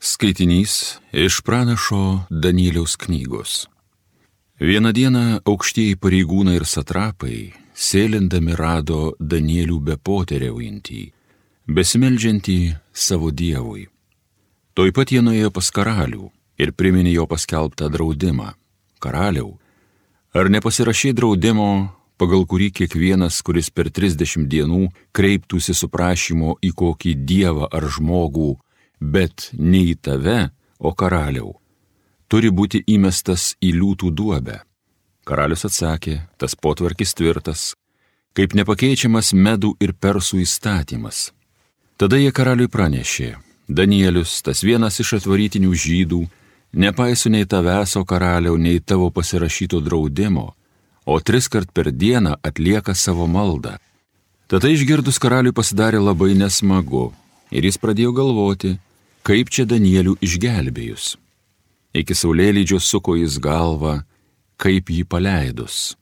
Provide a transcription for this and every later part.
Skaitinys iš pranašo Danieliaus knygos. Vieną dieną aukštieji pareigūnai ir satrapai, sėlindami rado Danielių bepoteriaujantį, besimeldžiantį savo dievui. Tuoj pat jie nuėjo pas karalių ir priminė jo paskelbtą draudimą. Karaliau, ar nepasirašei draudimo, pagal kurį kiekvienas, kuris per 30 dienų kreiptųsi su prašymu į kokį dievą ar žmogų, bet ne į tave, o karaliau, turi būti įmestas į liūtų duobę? Karalius atsakė, tas potvarkis tvirtas, kaip nepakeičiamas medų ir persų įstatymas. Tada jie karaliui pranešė, Danielius, tas vienas iš atvarytinių žydų, nepaiso nei tavęs, o karaliau, nei tavo pasirašyto draudimo, o 3 kart per dieną atlieka savo maldą. Tada išgirdus karaliui pasidarė labai nesmagu ir jis pradėjo galvoti, kaip čia Danielių išgelbėjus. Iki saulėlydžio suko jis galvą, kaip jį paleidus.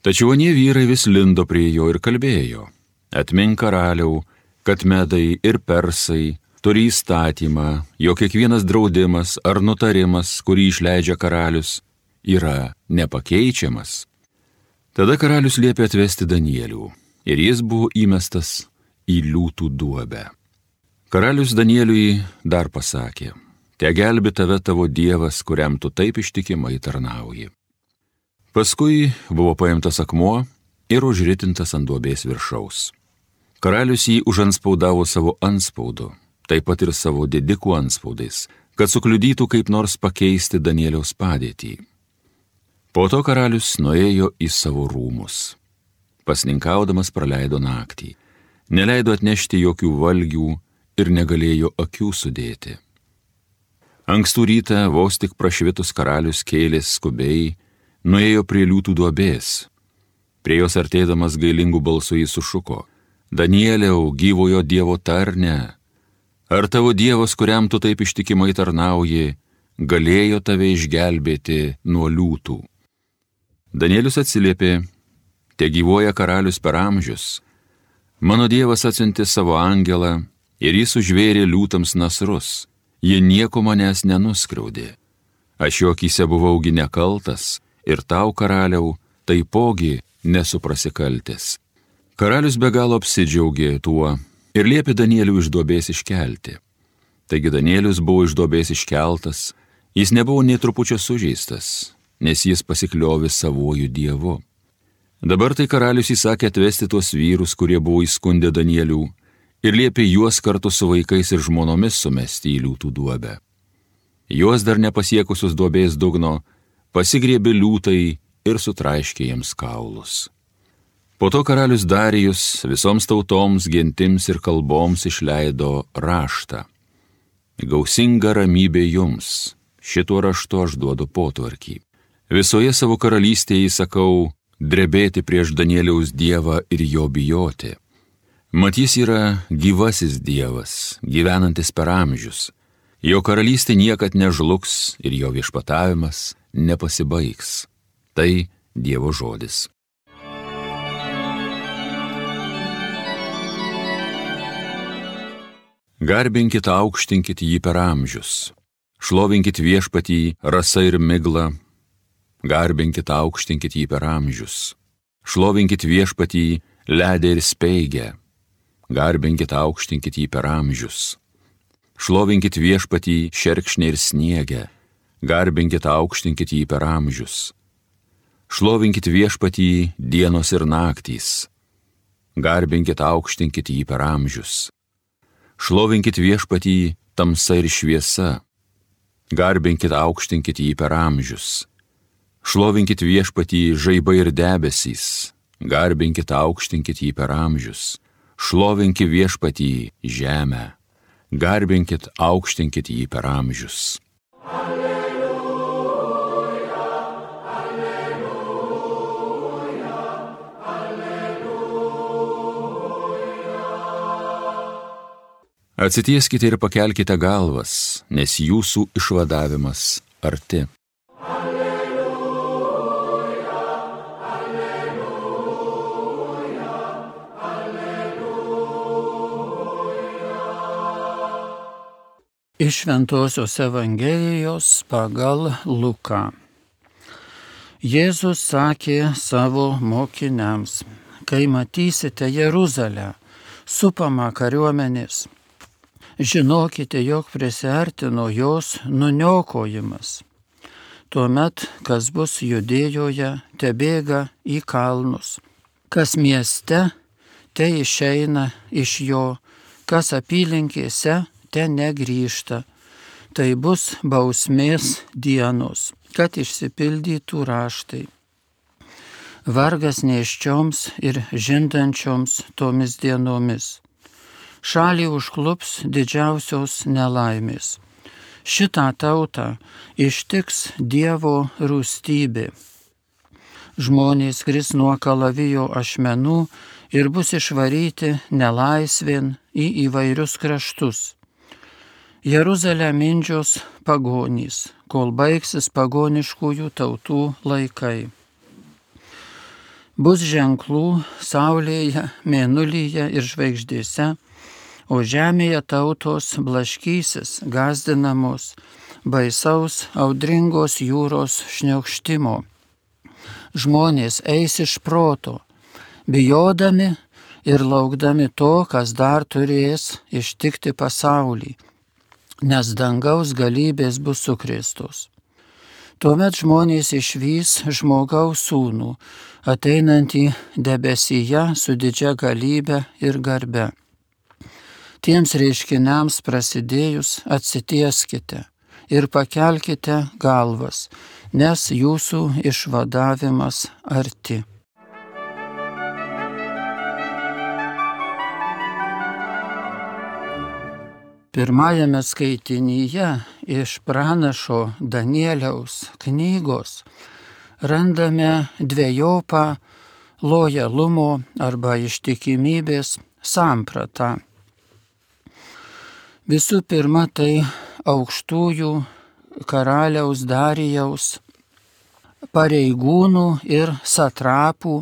Tačiau anie vyrai vis lindo prie jo ir kalbėjo, atmink karaliau, kad medai ir persai turi įstatymą, jo kiekvienas draudimas ar nutarimas, kurį išleidžia karalius, yra nepakeičiamas. Tada karalius liepė atvesti Danielių ir jis buvo įmestas į liūtų duobę. Karalius Danieliui dar pasakė, te gelbi tave tavo dievas, kuriam tu taip ištikimai tarnauji. Paskui buvo paimtas akmuo ir užritintas ant duobės viršaus. Karalius jį užanspaudavo savo antspaudu, taip pat ir savo didikų antspaudais, kad sukliudytų kaip nors pakeisti Danieliaus padėtį. Po to karalius nuėjo į savo rūmus. Pasninkaudamas praleido naktį, neleido atnešti jokių valgių ir negalėjo akių sudėti. Ankstų rytą, vos tik prašvitus, karalius kėlės skubiai, nuėjo prie liūtų duobės. Prie jos artėdamas gailingų balsų jis sušuko, Danieliau, gyvojo dievo tarne, ar tavo dievas, kuriam tu taip ištikimai tarnauji, galėjo tave išgelbėti nuo liūtų? Danielius atsiliepė, te gyvoja karalius per amžius, mano dievas atsiuntė savo angelą ir jis užvėrė liūtams nasrus, jie nieko manęs nenuskriaudė. Aš jo akyse buvaugi nekaltas ir tau, karaliau, taipogi nesu prasikaltęs. Karalius be galo apsidžiaugė tuo ir liepė Danielių iš duobės iškelti. Taigi Danielius buvo iš duobės iškeltas, jis nebuvo nė trupučio sužeistas, nes jis pasikliovė savuoju dievu. Dabar tai karalius įsakė atvesti tuos vyrus, kurie buvo įskundę Danielių, ir liepė juos kartu su vaikais ir žmonomis sumesti į liūtų duobę. Juos dar nepasiekusius duobės dugno pasigriebė liūtai ir sutraiškė jiems kaulus. Po to karalius Darijus visoms tautoms, gentims ir kalboms išleido raštą. Gausinga ramybė jums, šituo raštu aš duodu potvarkį. Visoje savo karalystėje įsakau drebėti prieš Danieliaus dievą ir jo bijoti. Mat jis yra gyvasis dievas, gyvenantis per amžius. Jo karalystė niekad nežlugs ir jo viešpatavimas nepasibaigs. Tai Dievo žodis. Garbinkit, aukštinkit jį per amžius. Šlovinkit viešpatį rasa ir migla. Garbinkit, aukštinkit jį per amžius. Šlovinkit viešpatį ledę ir speigę. Garbinkit, aukštinkit jį per amžius. Šlovinkit viešpatį šerkšnę ir sniegę. Garbinkit, aukštinkit jį per amžius. Šlovinkit viešpatį dienos ir naktys. Garbinkit, aukštinkit jį per amžius. Šlovinkit viešpatį tamsa ir šviesa. Garbinkit, aukštinkit jį per amžius. Šlovinkit viešpatį žaibai ir debesys. Garbinkit, aukštinkit jį per amžius. Šlovinkit viešpatį žemę. Garbinkit, aukštinkit jį per amžius. Alleluja, alleluja, alleluja. Atsitieskite ir pakelkite galvas, nes jūsų išvadavimas arti. Iš Šventosios Evangelijos pagal Luką. Jėzus sakė savo mokiniams: kai matysite Jeruzalę supamą kariuomenės, žinokite, jog prisiartino jos nuniokojimas. Tuomet, kas bus Judėjoje, tebėga į kalnus. Kas mieste, te išeina iš jo, kas apylinkėse, te negrįžta. Tai bus bausmės dienos, kad išsipildytų raštai. Vargas nėščioms ir žindančioms tomis dienomis. Šalį užklups didžiausios nelaimės. Šitą tautą ištiks Dievo rūstybė. Žmonės kris nuo kalavijo ašmenų ir bus išvaryti nelaisvėn į įvairius kraštus. Jeruzalę mindžios pagonys, kol baigsis pagoniškųjų tautų laikai. Bus ženklų saulėje, mėnulyje ir žvaigždėse, o žemėje tautos blaškysis, gąsdinamos baisaus audringos jūros šniokštimo. Žmonės eis iš proto, bijodami ir laukdami to, kas dar turės ištikti pasaulį, nes dangaus galybės bus sukrėstos. Tuomet žmonės išvys žmogaus sūnų, ateinantį debesyje su didžia galybe ir garbe. Tiems reiškiniams prasidėjus atsitieskite ir pakelkite galvas, nes jūsų išvadavimas arti. Pirmajame skaitinyje iš pranašo Danieliaus knygos randame dvejopą lojalumo arba ištikimybės sampratą. Visų pirma, tai aukštųjų karaliaus Darijaus pareigūnų ir satrapų,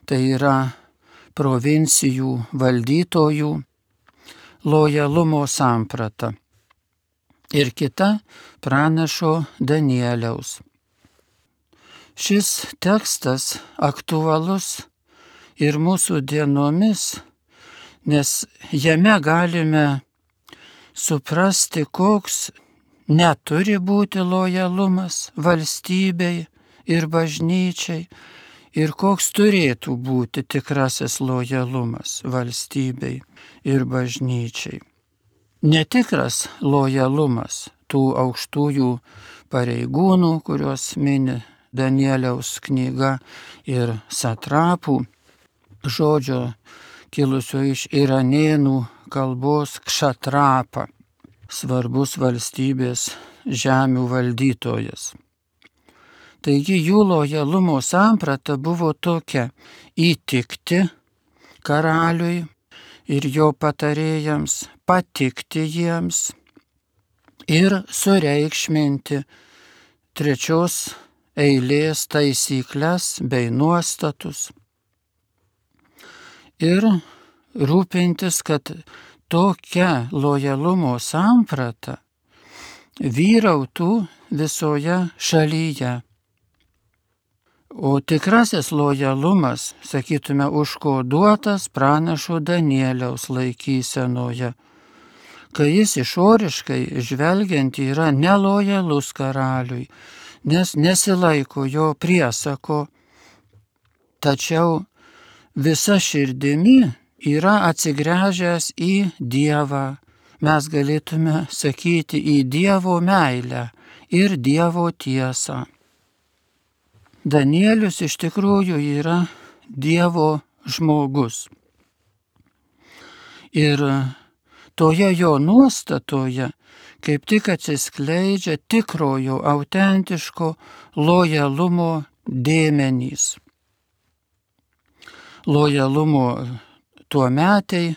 tai yra provincijų valdytojų, lojalumo samprata. Ir kita pranašo Danieliaus. Šis tekstas aktualus ir mūsų dienomis, nes jame galime suprasti, koks neturi būti lojalumas valstybei ir bažnyčiai ir koks turėtų būti tikrasis lojalumas valstybei ir bažnyčiai. Netikras lojalumas tų aukštųjų pareigūnų, kuriuos mini Danieliaus knyga, ir satrapų, žodžio kilusio iš iranėnų kalbos kšatrapa, svarbus valstybės žemių valdytojas. Taigi jų lojalumo samprata buvo tokia: įtikti karaliui ir jo patarėjams, patikti jiems ir sureikšminti trečios eilės taisyklės bei nuostatus ir rūpintis, kad tokia lojalumo samprata vyrautų visoje šalyje. O tikrasis lojalumas, sakytume, užkoduotas pranašo Danieliaus laikysenoje, kai jis išoriškai žvelgiant yra nelojalus karaliui, nes nesilaiko jo priesako, tačiau visa širdimi yra atsigręžęs į Dievą. Mes galėtume sakyti į Dievo meilę ir Dievo tiesą. Danielius iš tikrųjų yra Dievo žmogus. Ir toje jo nuostatoje kaip tik atsiskleidžia tikrojo, autentiško lojalumo dėmenys. Lojalumo tuometei,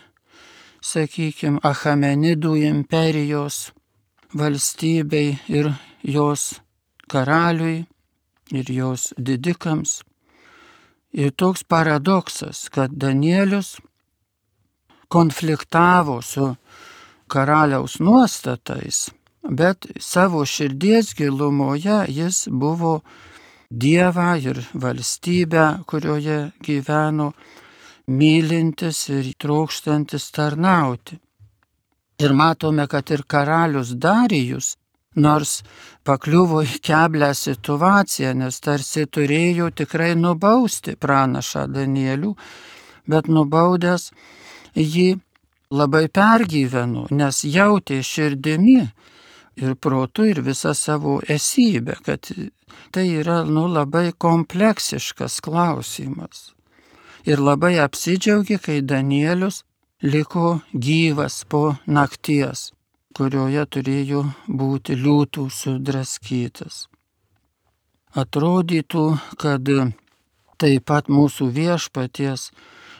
sakykime, Achamenidų imperijos valstybei ir jos karaliui ir jos didikams. Ir toks paradoksas, kad Danielius konfliktavo su karaliaus nuostatais, bet savo širdies gilumoje jis buvo Dievą ir valstybę, kurioje gyveno, mylintis ir trokštantis tarnauti. Ir matome, kad ir karalius Darijus, nors pakliuvo į keblią situaciją, nes tarsi turėjo tikrai nubausti pranašą Danielių, bet nubaudęs jį labai pergyveno, nes jautė širdimi ir protu ir visą savo esybę, kad tai yra labai kompleksiškas klausimas. Ir labai apsidžiaugė, kai Danielius liko gyvas po nakties, kurioje turėjo būti liūtų sudraskytas. Atrodytų, kad taip pat mūsų viešpaties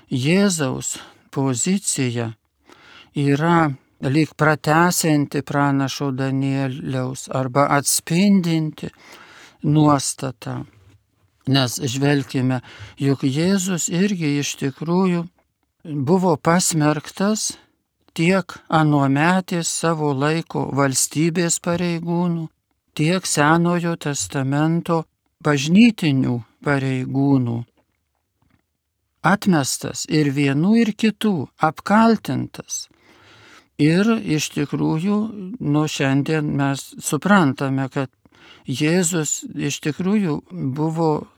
Jėzaus pozicija yra lyg pratęsianti pranašo Danieliaus arba atspindinti nuostatą. Nes žvelkime, juk Jėzus irgi iš tikrųjų buvo pasmerktas tiek anuometės savo laiko valstybės pareigūnų, tiek Senojo testamento bažnytinių pareigūnų. Atmestas ir vienų ir kitų, apkaltintas. Ir iš tikrųjų, šiandien mes suprantame, kad Jėzus iš tikrųjų buvo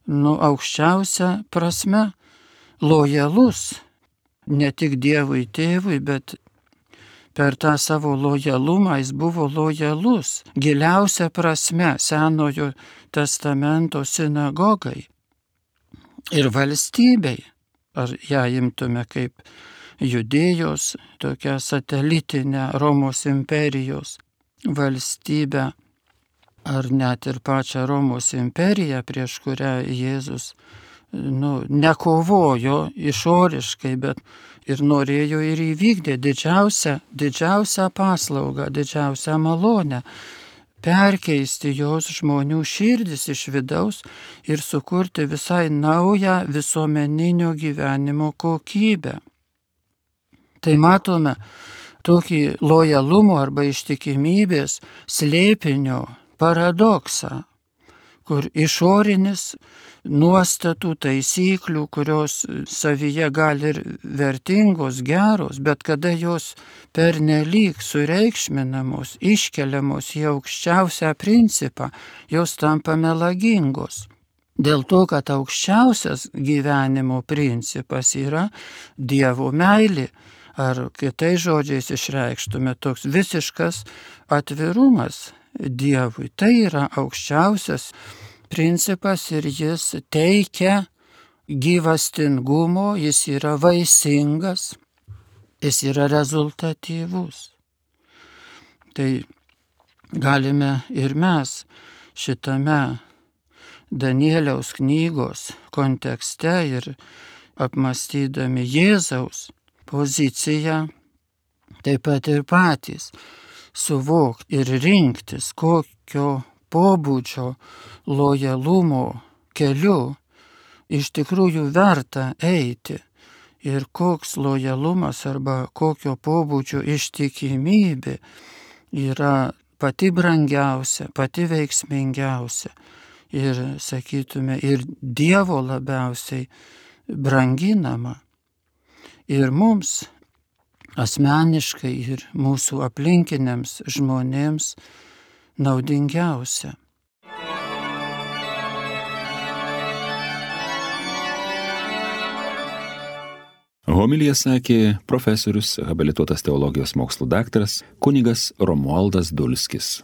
aukščiausia prasme lojalus, ne tik Dievui tėvui, bet per tą savo lojalumą jis buvo lojalus, giliausia prasme Senojo testamento sinagogai ir valstybei, ar ją imtume kaip Judėjos, tokią satelitinę Romos imperijos valstybę, ar net ir pačią Romos imperiją, prieš kurią Jėzus nekovojo išoriškai, bet ir norėjo ir įvykdė didžiausią paslaugą, didžiausią malonę, perkeisti jos žmonių širdis iš vidaus ir sukurti visai naują visuomeninio gyvenimo kokybę. Tai matome tokį lojalumo arba ištikimybės slėpinio paradoksą, kur išorinis nuostatų, taisyklių, kurios savyje gali ir vertingos, geros, bet kada jos pernelyg sureikšminamos, iškeliamos į aukščiausią principą, jos tampa melagingos. Dėl to, kad aukščiausias gyvenimo principas yra Dievo meilė, ar kitais žodžiais išreikštume toks visiškas atvirumas Dievui. Tai yra aukščiausias principas ir jis teikia gyvastingumo, jis yra vaisingas, jis yra rezultatyvus. Tai galime ir mes šitame Danieliaus knygos kontekste ir apmąstydami Jėzaus poziciją, taip pat ir patys suvokti ir rinktis, kokio pobūdžio lojalumo keliu iš tikrųjų verta eiti ir koks lojalumas arba kokio pobūdžio ištikimybė yra pati brangiausia, pati veiksmingiausia ir, sakytume, ir Dievo labiausiai branginama. Ir mums asmeniškai ir mūsų aplinkiniams žmonėms naudingiausia. Homiliją sakė profesorius, habilituotas teologijos mokslų daktaras kunigas Romualdas Dulskis.